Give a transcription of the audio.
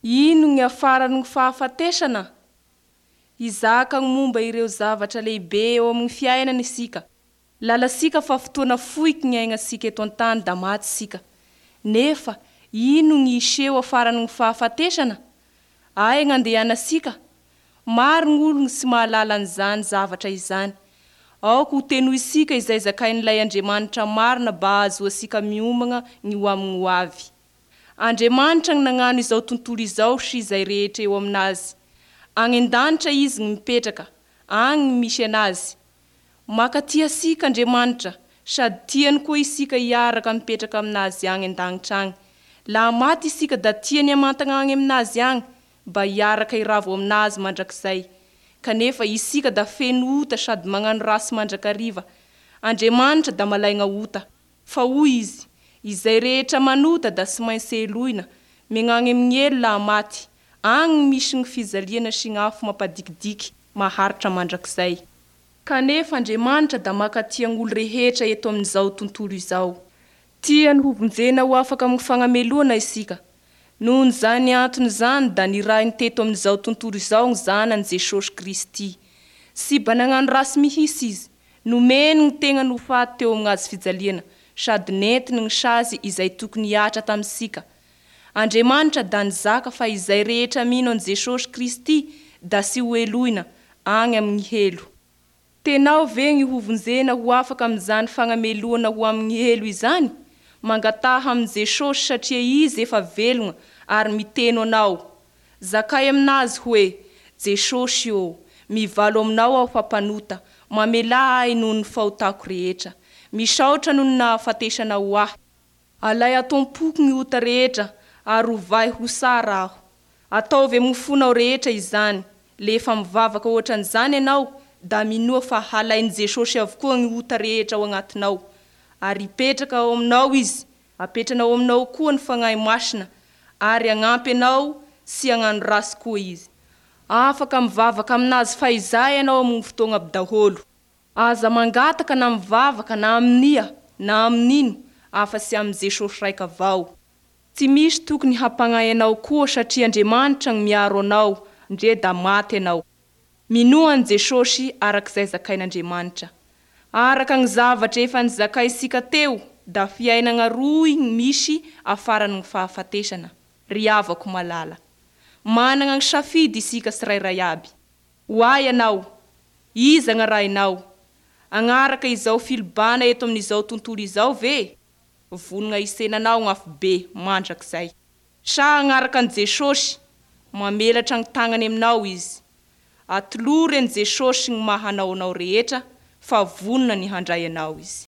Ino gny afaran'ny fahafatesana? Hizaka gny momba ireo zavatra lehibe eo amin'ny fiainana isika. Lalantsika fa fotoana fohiky ny aignantsika eto an-tany da maty isika. Nefa ino gny hiseho afaran'ny fahafatesana? Aia gn'andehanantsika? Maro gn'ologny tsy mahalala an'izany zavatra izany. Aoka ho tenointsika izay zakain'ilay Andriamanitra marina ba ahazoantsika miomagna ny ho amin'ny ho avy. Andriamanitra gny nagnano izao tontolo izao sy izay rehetra eo aminazy. Agny an-danitra Izy gny mipetraka, agny gny misy Anazy. Makatia antsika Andriamanitra sady tiany koa isika hiaraka mipetraka aminazy agny an-dagnitra agny. Laha maty isika da tiany hamantagna agny aminazy agny ba hiaraka hiravo aminazy mandrakizay. Kanefa isika da feno ota sady magnano ratsy mandrakariva. Andriamanitra da malaigna ota. Fa hoy Izy, Izay rehetra manota da tsy maintsy helohina, megnagny amin'ny helo laha maty, agny gny misy gny fijaliana sy gny afo mampadikidiky maharitra mandrakizay. Kanefa Andriamanitra da makatia gn'olo rehetra eto amin'izao tontolo izao. Tiany hovonjena ho afaka amin'ny fagnamelohana isika. Nohon'izany antony izany da nirahiny teto amin'izao tontolo izao gny Zanany Jesosy Kristy. Tsy ba nagnano ratsy mihitsy Izy. Nomeny gny tegnany ho faty teo amin'ny hazo fijaliana sady nentiny gny sazy izay tokony hihatra tamintsika. Andriamanitra da nizaka fa izay rehetra mino an'i Jesosy Kristy da tsy ho helohina agny amin'ny helo. Tenao ve gny hovonjena ho afaka amin'izany fagnamelohana ho amin'ny helo izany? Mangataha amin'i Jesosy satria Izy efa velogna ary miteno anao. Zakay aminazy hoe, Jesosy ô, mivalo aminao aho fa mpanota, mamelà ahy noho ny fahotako rehetra. Misaotra noho ny nahafatesanao ho ahy. Alay ato am-poko ny ota rehetra ary ovay ho tsara aho. Ataovy amin'ny fonao rehetra izany. Lefa mivavaka ohatran'izany ianao da minoa fa halain'i Jesosy avokoa ny ota rehetra ao agnatinao. Ary hipetraka ao aminao Izy, apetrany ao aminao koa ny Fagnahy Masina ary hagnampy anao tsy hagnano ratsy koa Izy. Afaka mivavaka aminazy fahizay ianao amin'ny fotoagna aby daholo. Aza mangataka na mivavaka na amin'ia na amin'ino afa-tsy amin'i Jesosy raika avao. Tsy misy tokony hampagnahy anao koa satria Andriamanitra gny miaro anao ndre da maty ianao. Minoa an'i Jesosy arak'izay zakain'Andriamanitra. Araka gny zavatra efa nizakaintsika teo da fiainagna roy gny misy afaran'ny fahafatesana, ry havako malala. Managna gny safidy isika tsirairay aby. Ho ahy ianao, iza gn'arahinao? Agnaraka izao filibana eto amin'izao tontolo izao ve? Vonona hitsena anao gny afobe mandrakizay. Sa agnaraka an'i Jesosy? Mamelatra gny tagnany aminao Izy. Atolory an'i Jesosy gny maha anao anao rehetra fa vonona ny handray anao Izy.